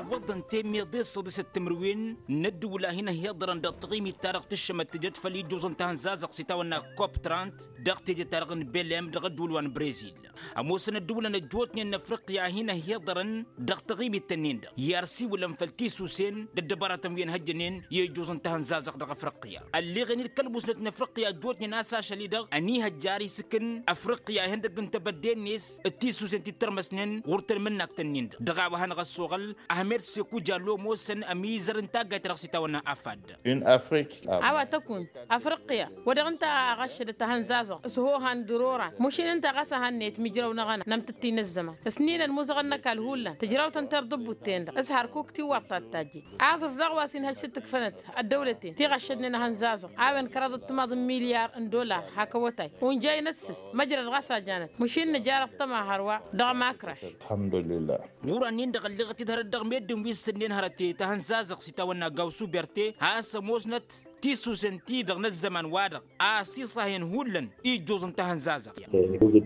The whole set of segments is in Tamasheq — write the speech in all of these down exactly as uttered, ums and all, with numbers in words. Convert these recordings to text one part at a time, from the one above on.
Iwwăḍăn temmiḍe s-săḍisăt timǝrwen n-ăddǝwǝl a hin-ăhhiḍărăn dăɣ-taɣimit-ta-dăɣ tǝššămăt tǝjăt făll-ijjuẓ n-tahǝnzazăɣt s-itawănna kop trant dăɣ-teje-ta-dăɣ n-belem dăɣ-ăddǝwǝl wa n-brezil. Ămoosăn ăddǝwǝlăn ăjjootnen n-afriqya a hin-ăhhiḍărăn dăɣ-taɣimit-tăn-in-dăɣ i-arsiwǝlăn făll-tisusen d-ăddăbaratăn wi ănhăjjănen i-ijjuẓ n-tahǝnzazăɣt dăɣ-afriqya. Ălleɣen-dd kăl-musnăt n-afriqya ăjjootnen a-s ašăl-i-dăɣ ănihăjja ar isǝkǝn afriqya ihăndăgg n-tebădde-net d-tisusen ti t-ărmăsnen ɣur-tăn imǝnnak-tăn-in-dăɣ dăɣ-a-wa hanăɣ-ăssoɣăl ahmed sekuja lomoosăn ămizăr n-taggayt-ta-dăɣ s-itawănna afad. A-wa tăkunt afriqya wa dăɣ-ǝnta a ɣăššădăt ahănzazăɣ s-hohan d-ǝroran mušin ǝnta ɣas a hannăyăt mijrăw n-aɣăna n-amtǝtti n-ăzzăman s-ninăn imuzăɣăn n-ăkall hullan tǝjrawt ǝnta irḍǝbbut-ten-dăɣ s-hărkuk tiwwaḍt ta t-tajjit. Aẓrǝf daɣ wa s-inhăj s-ǝttǝkfănăt ăddăwlăten ti ɣăššădnen ahănzazăɣ a-wen kăraḍăt timaḍ n-milyar n-dollar hak awătay unjăynăt s-s măjrăd ɣas a janăt măšin nǝjarăt tăma hărwa dăɣ-makraš. Ɣur-annin-dăɣ ălleɣăt-dd hărăt dăɣ-meddǝn wi s-tǝnnen hărăt tahănzazăɣ s-itawănna gawsu berte a-s ămoosnăt tisusen-ti-dăɣ n-ăzzăman-wa-dăɣ a-s iṣahăyăn hullan ijjuẓ n-tahănzazăɣt.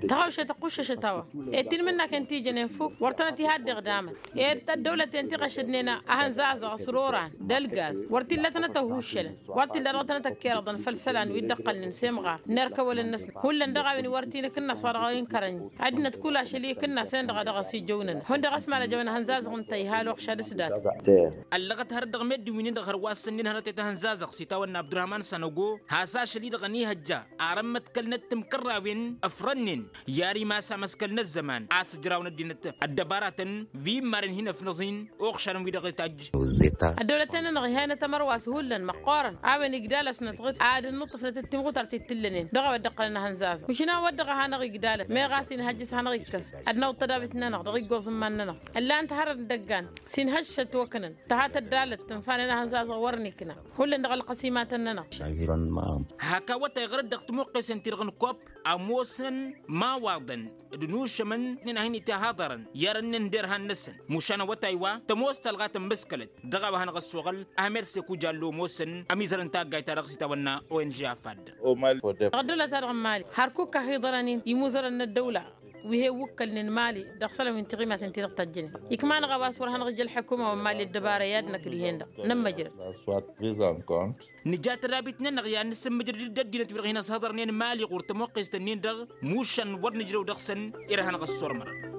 Tăɣawšet ăqquššăšăt a-wa ed tinmǝnnaken ti jănen fuk wăr tănăt-iha dd-iɣdamăn ed ăddăwlăten ti ɣăššădnen ahănzazăɣ s-ǝroran d-ălgaz wăr t-illa tănăt-ăhuššălăn wăr t-illa dăɣ-tănăt-ăkkerăḍăn făll-isălan wi dd-ăqqălnen s-imɣar n-erkăwălăn-năsnăt hullan dăɣ-a-wen iwăr t-inǝkǝnnas wa dăɣ-a-wa inkărăn-i. Ăddinăt kul ašăl i-ikǝnnas-en-dăɣ a dăɣ-s ijăwnănăt hundăɣ ăsmalăjăwăn ahănzazăɣ ǝnta iha ăloxšad s-dat. Ăllăɣăt hărăt dăɣ-meddǝn wi-nin-dăɣ hărwa s-ǝnnin hărăt i-tahănzazăɣ s-itawănna abdurahman sănăgo has-ašăl-i-dăɣ ănihăjja arăn măḍkălnăt timkărrawen ăfrănnen i-ar imas amăskăl n-ăzzăman a-s ǝjrawăn ăddinăt ăddăbaratăn wi n-immaren hin-ăfnăẓ-in. Uɣšarăn-wi-dăɣ itajj. Ăddăwlăten-nănăɣ iha-inăt ămărwas hullan măqqoorăn a-wen igdal-asnăt ɣǝd ad-ănnuṭṭǝfnăt d-timɣutar ti t-ǝllănen dăɣ-a-wa dd-ǝqqălăn ahănzazăɣ măšin a-wen wăr dăɣ-a hanăɣ-igdalăn meɣ a-s inhăjj s-hanăɣ-ikkăs ad-nawǝḍ tădabit-nănăɣ dăɣ-iggoẓ n-iman-nănăɣ. Ǝllan-t hărăt n-idăggan s-inhăjj s-ătwăknăn tăha tăddalăt tǝnfanen ahănzazăɣ wăr nikna hullan dăɣ-ălqăsimatăn-nănăɣ. Hak awătay ɣărăt dăɣ-timuqqesen-ti-dăɣ n-kopp ămoosnăn imawaḍăn d-inušămăn-nin a hin-itihaḍărăn i-arănnen d-irhan-năsăn. Mušan awătay wa tămoos talɣa tămmǝskălăt dăɣ-a-wa hanăɣ-ăssoɣăl ahmed sekuja ăllomoosăn ămizăr n-taggayt-ta-dăɣ s-itawănna ong afad. Dăɣ-ăddăwla-ta-dăɣ n-mali hărkuk a hi-iḍărăn-in imuzărăn n-ăddăwla wi he-iwwǝkkălnen mali dăɣ-isălan wi n-tiɣimaten ti-dăɣ tăjjănen. Ikma-năɣ a-wa s-wăr hanăɣ-ija ălḥukuma wa n-mali ăddăbara i-ad-năkk dihen-dăɣ nămmăjrăd. Nǝja tădabit-nănăɣ i-ad-nǝsǝmmǝjrăd d-ăddinăt wi-dăɣ hin-ăshăḍărnen mali ɣur-tămoqqest-ǝnnin-dăɣ mušan wăr nǝjrăw dăɣ-săn. Irhan ɣas s-ormărăn.